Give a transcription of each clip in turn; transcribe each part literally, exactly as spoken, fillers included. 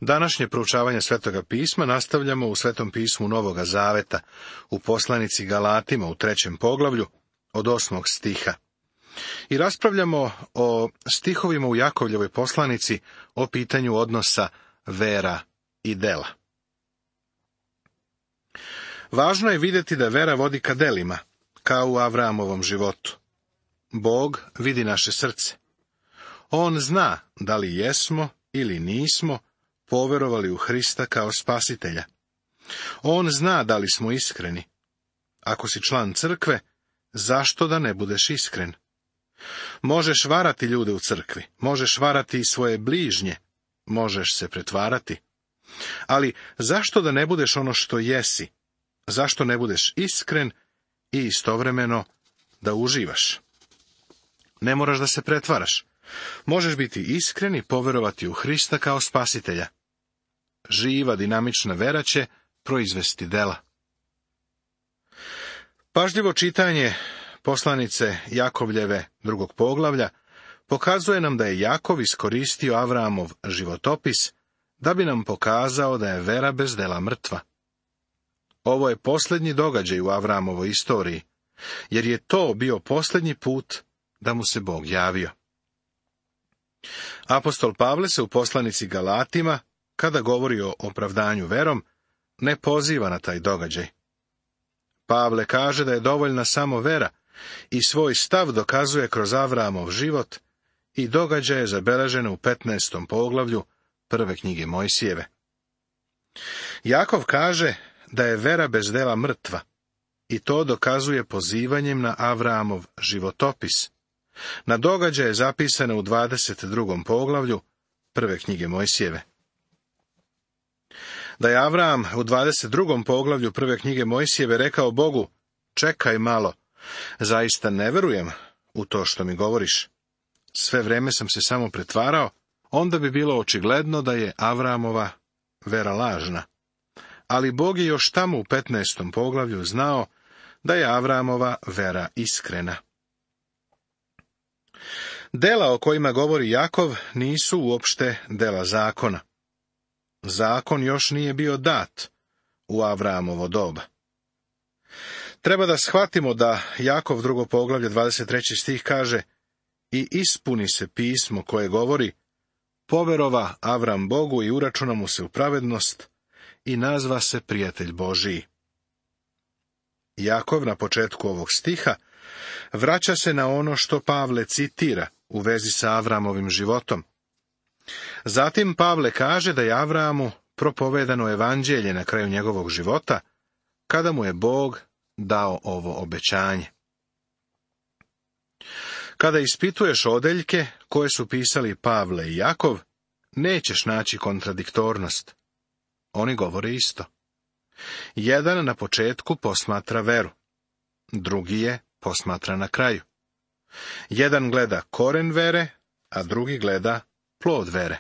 Današnje proučavanje Svetoga pisma nastavljamo u Svetom pismu Novoga Zaveta, u poslanici Galatima u trećem poglavlju, od osmog stiha. I raspravljamo o stihovima u Jakovljevoj poslanici o pitanju odnosa vera i dela. Važno je vidjeti da vera vodi ka delima, kao u Avramovom životu. Bog vidi naše srce. On zna da li jesmo ili nismo poverovali u Hrista kao spasitelja. On zna da li smo iskreni. Ako si član crkve, zašto da ne budeš iskren? Možeš varati ljude u crkvi, možeš varati i svoje bližnje, možeš se pretvarati. Ali zašto da ne budeš ono što jesi? Zašto ne budeš iskren i istovremeno da uživaš? Ne moraš da se pretvaraš. Možeš biti iskren i poverovati u Hrista kao spasitelja. Živa, dinamična vera će proizvesti dela. Pažljivo čitanje poslanice Jakovljeve drugog poglavlja pokazuje nam da je Jakov iskoristio Avramov životopis da bi nam pokazao da je vera bez dela mrtva. Ovo je posljednji događaj u Avramovoj istoriji, jer je to bio posljednji put da mu se Bog javio. Apostol Pavle se u poslanici Galatima, kada govori o opravdanju verom, ne poziva na taj događaj. Pavle kaže da je dovoljna samo vera i svoj stav dokazuje kroz Avramov život i događaje zabeležene u petnaestom poglavlju prve knjige Mojsijeve. Jakov kaže da je vera bez dela mrtva i to dokazuje pozivanjem na Avramov životopis, na događaje zapisane u dvadeset drugom poglavlju prve knjige Mojsijeve. Da je Avram u dvadeset drugom poglavlju prve knjige Mojsijeve rekao Bogu, čekaj malo, zaista ne verujem u to što mi govoriš. Sve vrijeme sam se samo pretvarao, onda bi bilo očigledno da je Avramova vera lažna. Ali Bog je još tamo u petnaestom poglavlju znao da je Avramova vera iskrena. Dela o kojima govori Jakov nisu uopšte dela zakona. Zakon još nije bio dat u Avramovo doba. Treba da shvatimo da Jakov drugo poglavlje dvadeset treći stih kaže i ispuni se pismo koje govori poverova Avram Bogu i uračuna mu se u pravednost i nazva se prijatelj Božiji. Jakov na početku ovog stiha vraća se na ono što Pavle citira u vezi sa Avramovim životom. Zatim Pavle kaže da je Avramu propovedano evanđelje na kraju njegovog života, kada mu je Bog dao ovo obećanje. Kada ispituješ odeljke koje su pisali Pavle i Jakov, nećeš naći kontradiktornost. Oni govore isto. Jedan na početku posmatra veru, drugi je posmatra na kraju. Jedan gleda koren vere, a drugi gleda plod vere.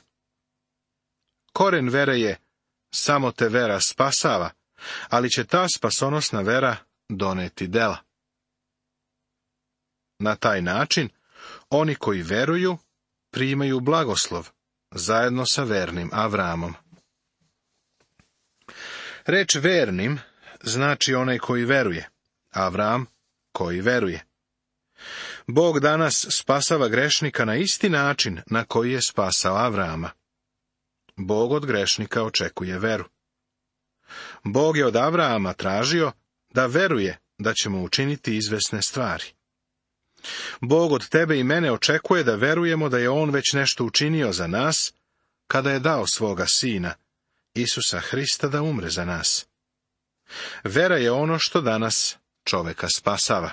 Koren vere je samo te vera spasava, ali će ta spasonosna vera doneti dela. Na taj način, oni koji veruju, primaju blagoslov, zajedno sa vernim Avramom. Reč vernim znači onaj koji veruje, Avram koji veruje. Bog danas spasava grešnika na isti način na koji je spasao Avrama. Bog od grešnika očekuje veru. Bog je od Avrama tražio da veruje da će mu učiniti izvesne stvari. Bog od tebe i mene očekuje da verujemo da je on već nešto učinio za nas, kada je dao svoga sina, Isusa Hrista, da umre za nas. Vera je ono što danas čoveka spasava.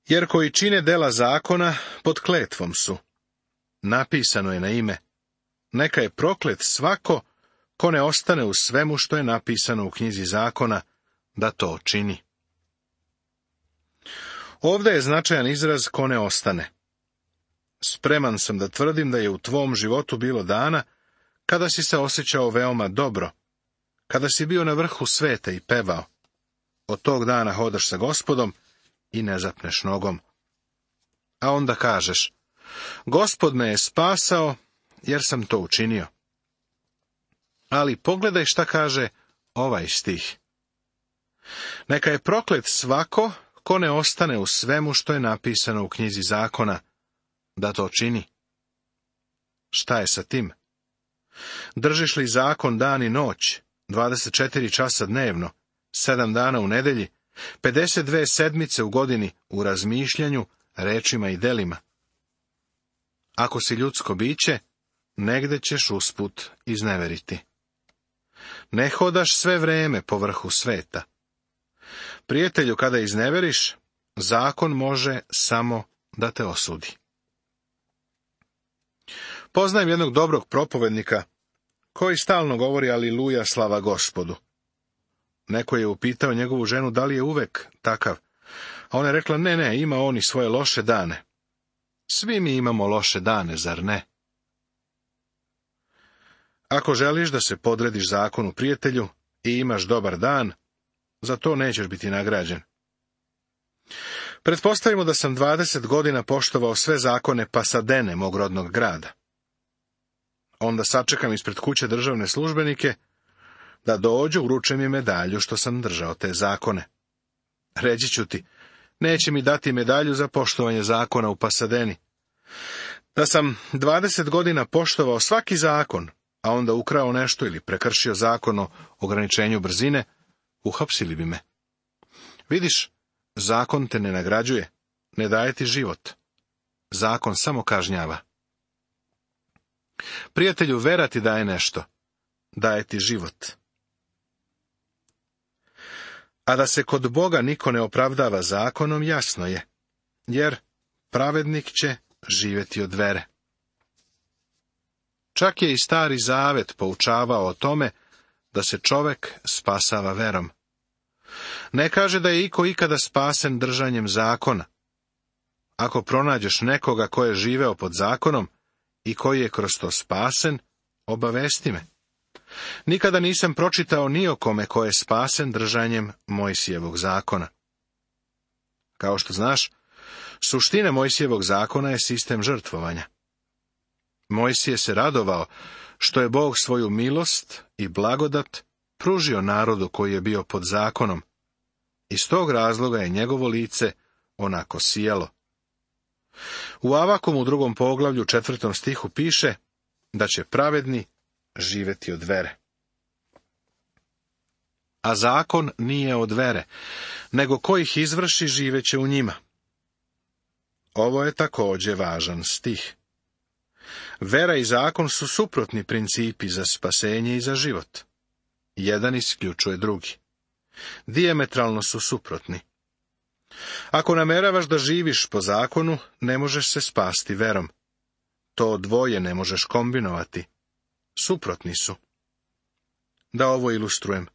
Jer koji čine dela zakona, pod kletvom su. Napisano je na ime, neka je proklet svako ko ne ostane u svemu što je napisano u knjizi zakona, da to čini. Ovdje je značajan izraz ko ne ostane. Spreman sam da tvrdim da je u tvom životu bilo dana kada si se osjećao veoma dobro, kada si bio na vrhu sveta i pevao. Od tog dana hodaš sa Gospodom i ne zapneš nogom. A onda kažeš, Gospod me je spasao jer sam to učinio. Ali pogledaj šta kaže ovaj stih. Neka je proklet svako ko ne ostane u svemu što je napisano u knjizi zakona, da to čini. Šta je sa tim? Držiš li zakon dan i noć, dvadeset četiri časa dnevno, sedam dana u nedelji, pedeset dve sedmice u godini u razmišljanju, rečima i delima? Ako si ljudsko biće, negde ćeš usput izneveriti. Ne hodaš sve vreme po vrhu sveta. Prijatelju, kada izneveriš, zakon može samo da te osudi. Poznajem jednog dobrog propovednika, koji stalno govori aliluja, slava Gospodu. Neko je upitao njegovu ženu da li je uvek takav, a ona je rekla, ne, ne, ima on i svoje loše dane. Svi mi imamo loše dane, zar ne? Ako želiš da se podrediš zakonu, prijatelju, i imaš dobar dan, za to nećeš biti nagrađen. Pretpostavimo da sam dvadeset godina poštovao sve zakone Pasadene, mog rodnog grada. Onda sačekam ispred kuće državne službenike da dođu, uruče mi medalju što sam držao te zakone. Reći ću ti, neće mi dati medalju za poštovanje zakona u Pasadeni. Da sam dvadeset godina poštovao svaki zakon, a onda ukrao nešto ili prekršio zakon o ograničenju brzine, uhapsili bi me. Vidiš, zakon te ne nagrađuje, ne daje ti život. Zakon samo kažnjava. Prijatelju, vera ti daje nešto, daje ti život. A da se kod Boga niko ne opravdava zakonom, jasno je, jer pravednik će živjeti od vere. Čak je i Stari Zavet poučavao o tome da se čovek spasava verom. Ne kaže da je iko ikada spasen držanjem zakona. Ako pronađeš nekoga ko je živeo pod zakonom i koji je kroz to spasen, obavesti me. Nikada nisam pročitao ni o kome ko je spasen držanjem Mojsijevog zakona. Kao što znaš, suština Mojsijevog zakona je sistem žrtvovanja. Mojsije se radovao što je Bog svoju milost i blagodat pružio narodu koji je bio pod zakonom. Iz tog razloga je njegovo lice onako sijalo. U Avakum u drugom poglavlju četvrtom stihu piše da će pravedni živjeti od vere. A zakon nije od vere, nego ko ih izvrši živeće u njima. Ovo je također važan stih. Vera i zakon su suprotni principi za spasenje i za život. Jedan isključuje drugi. Dijametralno su suprotni. Ako nameravaš da živiš po zakonu, ne možeš se spasti verom. To dvoje ne možeš kombinovati. Suprotni su. Da ovo ilustrujem.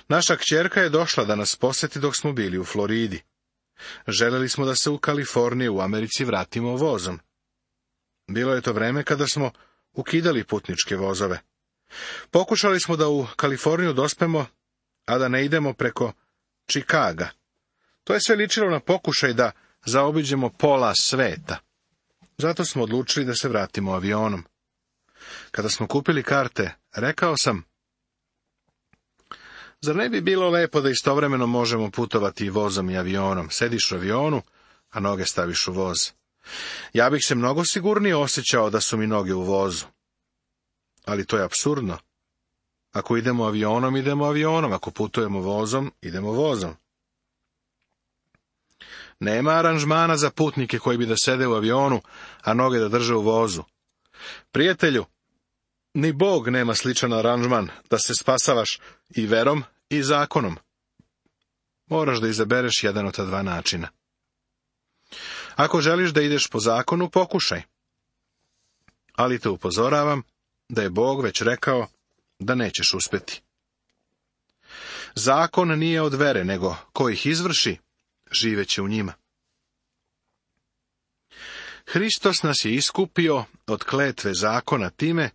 Naša kćerka je došla da nas posjeti dok smo bili u Floridi. Želeli smo da se u Kaliforniju u Americi vratimo vozom. Bilo je to vreme kada smo ukidali putničke vozove. Pokušali smo da u Kaliforniju dospemo, a da ne idemo preko Čikaga. To je sve ličilo na pokušaj da zaobiđemo pola sveta. Zato smo odlučili da se vratimo avionom. Kada smo kupili karte, rekao sam, zar ne bi bilo lepo da istovremeno možemo putovati i vozom i avionom? Sediš u avionu, a noge staviš u voz. Ja bih se mnogo sigurnije osjećao da su mi noge u vozu. Ali to je apsurdno. Ako idemo avionom, idemo avionom. Ako putujemo vozom, idemo vozom. Nema aranžmana za putnike koji bi da sede u avionu, a noge da drže u vozu. Prijatelju, ni Bog nema sličan aranžman da se spasavaš i verom i zakonom. Moraš da izabereš jedan od ta dva načina. Ako želiš da ideš po zakonu, pokušaj. Ali te upozoravam da je Bog već rekao da nećeš uspjeti. Zakon nije od vere, nego ko ih izvrši, živeće u njima. Hristos nas je iskupio od kletve zakona time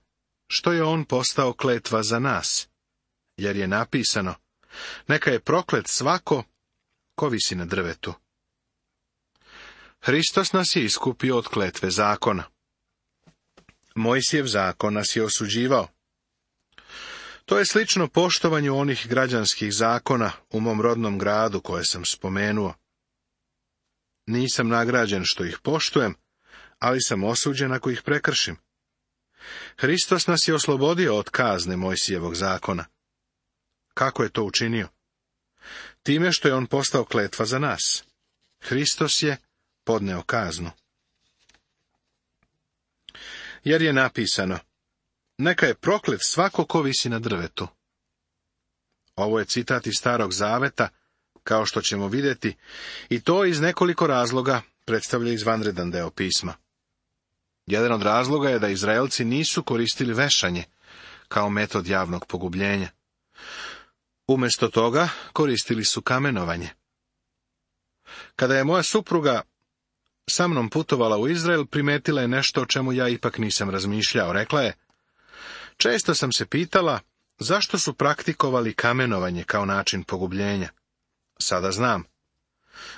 što je on postao kletva za nas, jer je napisano, neka je proklet svako ko visi na drvetu. Hristos nas je iskupio od kletve zakona. Mojsijev zakon nas je osuđivao. To je slično poštovanju onih građanskih zakona u mom rodnom gradu koje sam spomenuo. Nisam nagrađen što ih poštujem, ali sam osuđen ako ih prekršim. Hristos nas je oslobodio od kazne Mojsijevog zakona. Kako je to učinio? Time što je on postao kletva za nas. Hristos je podneo kaznu. Jer je napisano: neka je proklet svako ko visi na drvetu. Ovo je citat iz Starog zaveta, kao što ćemo vidjeti, i to iz nekoliko razloga predstavlja izvanredan deo pisma. Jedan od razloga je da Izraelci nisu koristili vešanje kao metod javnog pogubljenja. Umjesto toga koristili su kamenovanje. Kada je moja supruga sa mnom putovala u Izrael, primetila je nešto o čemu ja ipak nisam razmišljao. Rekla je: često sam se pitala zašto su praktikovali kamenovanje kao način pogubljenja. Sada znam.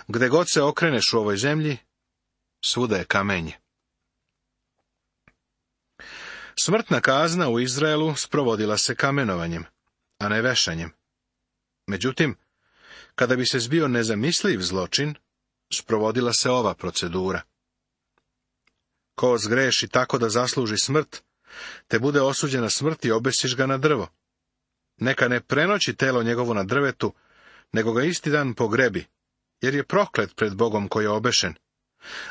Gde god se okreneš u ovoj zemlji, svuda je kamenje. Smrtna kazna u Izraelu sprovodila se kamenovanjem, a ne vešanjem. Međutim, kada bi se zbio nezamisliv zločin, sprovodila se ova procedura. Ko zgreši tako da zasluži smrt, te bude osuđen na smrt i obesiš ga na drvo. Neka ne prenoći telo njegovo na drvetu, nego ga isti dan pogrebi, jer je proklet pred Bogom koji je obešen.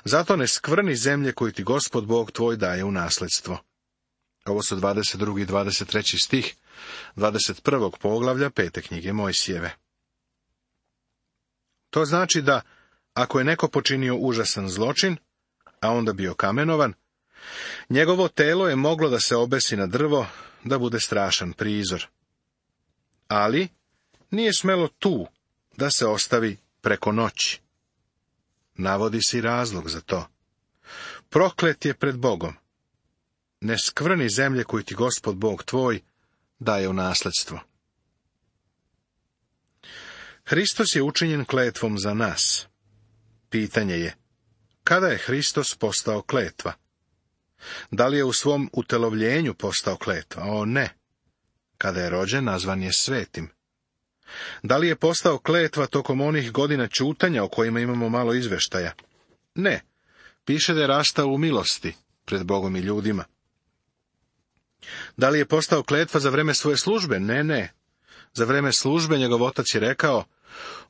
Zato ne skvrni zemlje koju ti Gospod Bog tvoj daje u nasledstvo. Ovo su dvadeset drugi i dvadeset treći stih dvadeset prvog poglavlja pete knjige Mojsijeve. To znači da, ako je neko počinio užasan zločin, a onda bio kamenovan, njegovo telo je moglo da se obesi na drvo, da bude strašan prizor. Ali nije smelo tu da se ostavi preko noći. Navodi se i razlog za to. Proklet je pred Bogom. Ne skvrni zemlje koju ti Gospod Bog tvoj daje u nasledstvo. Hristos je učinjen kletvom za nas. Pitanje je: kada je Hristos postao kletva? Da li je u svom utelovljenju postao kletva? O ne. Kada je rođen, nazvan je svetim. Da li je postao kletva tokom onih godina ćutanja o kojima imamo malo izveštaja? Ne. Piše da je rastao u milosti pred Bogom i ljudima. Da li je postao kletva za vreme svoje službe? Ne, ne. Za vreme službe njegov otac je rekao: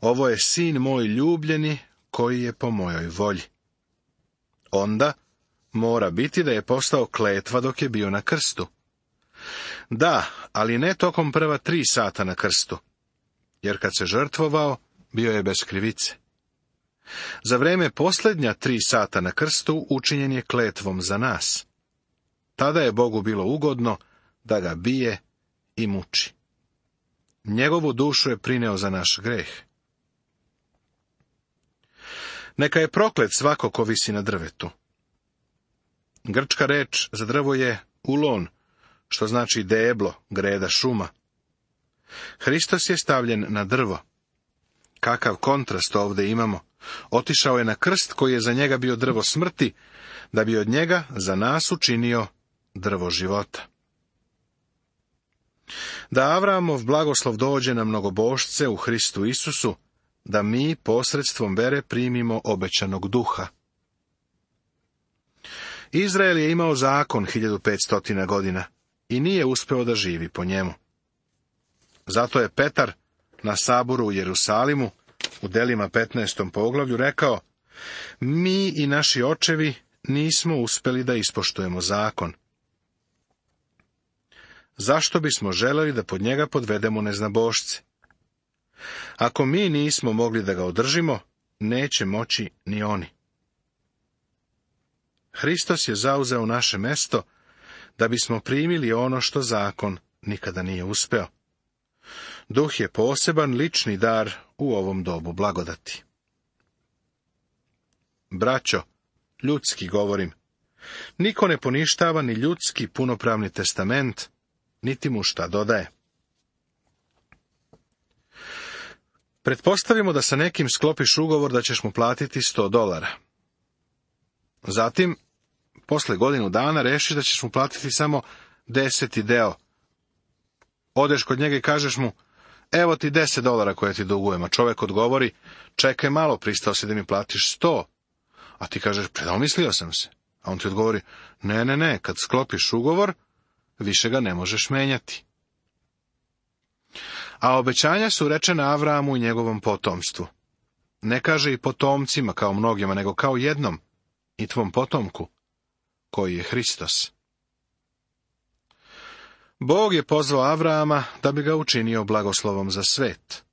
ovo je sin moj ljubljeni, koji je po mojoj volji. Onda mora biti da je postao kletva dok je bio na krstu. Da, ali ne tokom prva tri sata na krstu, jer kad se žrtvovao, bio je bez krivice. Za vreme posljednja tri sata na krstu učinjen je kletvom za nas. Tada je Bogu bilo ugodno da ga bije i muči. Njegovu dušu je prineo za naš greh. Neka je proklet svako ko visi na drvetu. Grčka reč za drvo je ulon, što znači deblo, greda, šuma. Hristos je stavljen na drvo. Kakav kontrast ovdje imamo. Otišao je na krst koji je za njega bio drvo smrti, da bi od njega za nas učinio drvo života. Da Avramov blagoslov dođe na mnogobošce u Hristu Isusu, da mi posredstvom vere primimo obećanog duha. Izrael je imao zakon hiljadu petsto godina i nije uspeo da živi po njemu. Zato je Petar na saboru u Jerusalimu u Delima petnaestom poglavlju rekao: mi i naši očevi nismo uspeli da ispoštujemo zakon. Zašto bismo želeli da pod njega podvedemo neznabošce? Ako mi nismo mogli da ga održimo, neće moći ni oni. Hristos je zauzeo naše mesto da bismo primili ono što zakon nikada nije uspeo. Duh je poseban lični dar u ovom dobu blagodati. Braćo, ljudski govorim, niko ne poništava ni ljudski punopravni testament, niti mu šta dodaje. Pretpostavimo da sa nekim sklopiš ugovor da ćeš mu platiti sto dolara. Zatim, posle godinu dana rešiš da ćeš mu platiti samo deseti deo. Odeš kod njega i kažeš mu, evo ti deset dolara koje ti dugujem, a čovek odgovori, čekaj malo, pristao si da mi platiš sto. A ti kažeš, predomislio sam se. A on ti odgovori, ne, ne, ne, kad sklopiš ugovor, više ga ne možeš menjati. A obećanja su rečena Avramu i njegovom potomstvu. Ne kaže i potomcima kao mnogima, nego kao jednom, i tvom potomku, koji je Hristos. Bog je pozvao Avrama da bi ga učinio blagoslovom za svet.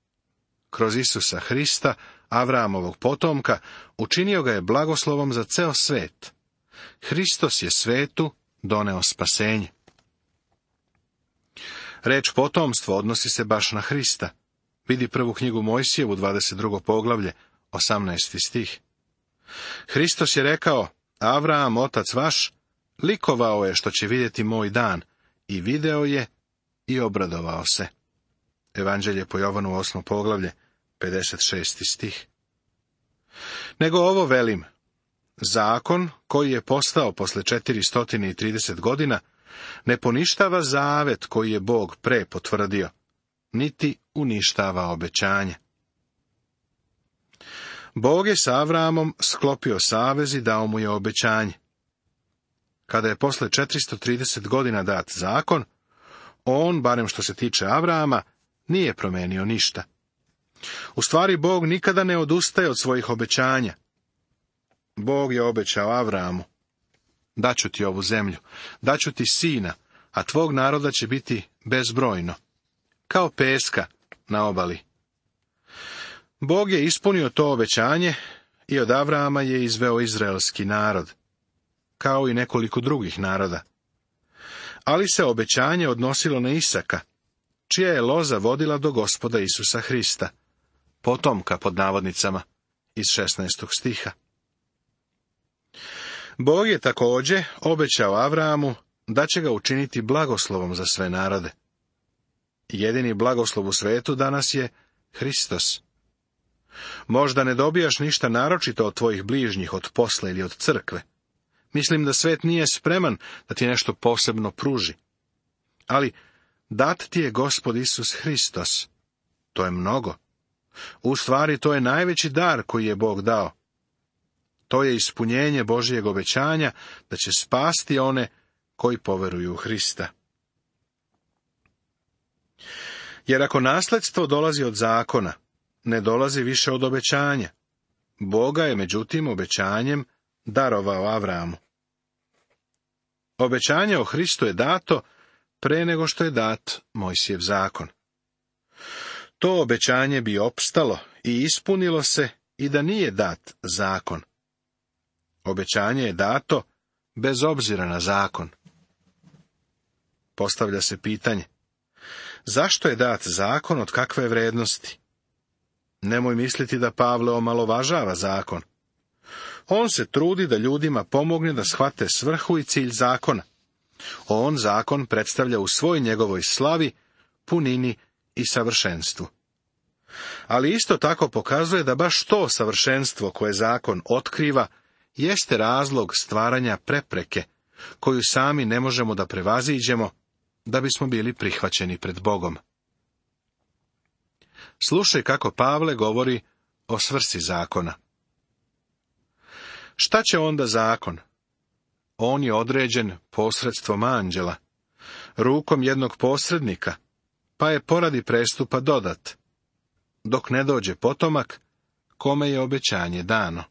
Kroz Isusa Hrista, Avramovog potomka, učinio ga je blagoslovom za ceo svet. Hristos je svetu doneo spasenje. Reč potomstvo odnosi se baš na Hrista. Vidi prvu knjigu Mojsijevu, dvadeset drugo poglavlje, osamnaesti stih. Hristos je rekao, Avram, otac vaš, likovao je što će vidjeti moj dan, i video je i obradovao se. Evanđelje po Jovanu, osmo poglavlje, pedeset šesti stih. Nego ovo velim, zakon koji je postao posle četiristo trideset godina, ne poništava zavet koji je Bog pre potvrdio, niti uništava obećanje. Bog je sa Avramom sklopio savez i dao mu je obećanje. Kada je posle četiristo trideset godina dat zakon, on, barem što se tiče Avrama, nije promenio ništa. U stvari, Bog nikada ne odustaje od svojih obećanja. Bog je obećao Avramu, daću ti ovu zemlju, daću ti sina, a tvog naroda će biti bezbrojno, kao peska na obali. Bog je ispunio to obećanje i od Avrama je izveo izraelski narod, kao i nekoliko drugih naroda. Ali se obećanje odnosilo na Isaka, čija je loza vodila do Gospoda Isusa Hrista, potomka pod navodnicama, iz šesnaestog stiha. Bog je također obećao Avramu da će ga učiniti blagoslovom za sve narode. Jedini blagoslov u svetu danas je Hristos. Možda ne dobijaš ništa naročito od tvojih bližnjih, od posla ili od crkve. Mislim da svet nije spreman da ti nešto posebno pruži. Ali dat ti je Gospod Isus Hristos. To je mnogo. U stvari, to je najveći dar koji je Bog dao. To je ispunjenje Božijeg obećanja da će spasti one koji poveruju u Hrista. Jer ako nasledstvo dolazi od zakona, ne dolazi više od obećanja. Boga je međutim obećanjem darovao Avramu. Obećanje o Hristu je dato pre nego što je dat Mojsijev zakon. To obećanje bi opstalo i ispunilo se i da nije dat zakon. Obećanje je dato bez obzira na zakon. Postavlja se pitanje, zašto je dat zakon, od kakve vrednosti? Nemoj misliti da Pavle omalovažava zakon. On se trudi da ljudima pomogne da shvate svrhu i cilj zakona. On zakon predstavlja u svoj njegovoj slavi, punini i savršenstvu. Ali isto tako pokazuje da baš to savršenstvo koje zakon otkriva jeste razlog stvaranja prepreke, koju sami ne možemo da prevaziđemo, da bismo bili prihvaćeni pred Bogom. Slušaj kako Pavle govori o svrsi zakona. Šta će onda zakon? On je određen posredstvom anđela, rukom jednog posrednika, pa je poradi prestupa dodat, dok ne dođe potomak, kome je obećanje dano.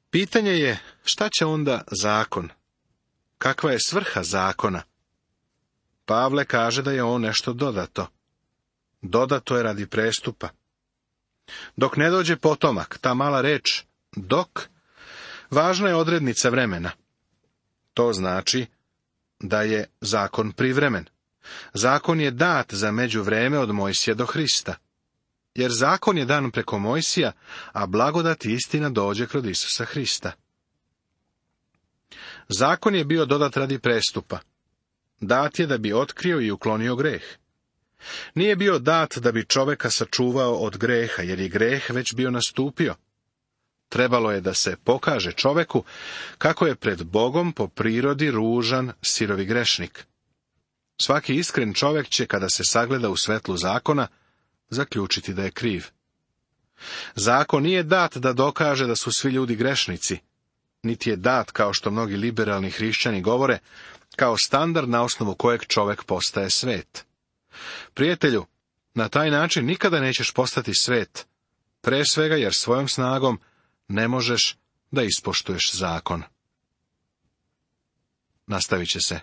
Pitanje je, šta će onda zakon? Kakva je svrha zakona? Pavle kaže da je on nešto dodato. Dodato je radi prestupa. Dok ne dođe potomak, ta mala reč, dok, važna je odrednica vremena. To znači da je zakon privremen. Zakon je dat za međuvreme od Mojsija do Hrista. Jer zakon je dan preko Mojsija, a blagodat i istina dođe kroz Isusa Hrista. Zakon je bio dodat radi prestupa. Dat je da bi otkrio i uklonio greh. Nije bio dat da bi čoveka sačuvao od greha, jer je greh već bio nastupio. Trebalo je da se pokaže čoveku kako je pred Bogom po prirodi ružan, sirovi grešnik. Svaki iskren čovek će, kada se sagleda u svetlu zakona, zaključiti da je kriv. Zakon nije dat da dokaže da su svi ljudi grešnici, niti je dat, kao što mnogi liberalni hrišćani govore, kao standard na osnovu kojeg čovek postaje svet. Prijatelju, na taj način nikada nećeš postati svet, pre svega jer svojom snagom ne možeš da ispoštuješ zakon. Nastavit će se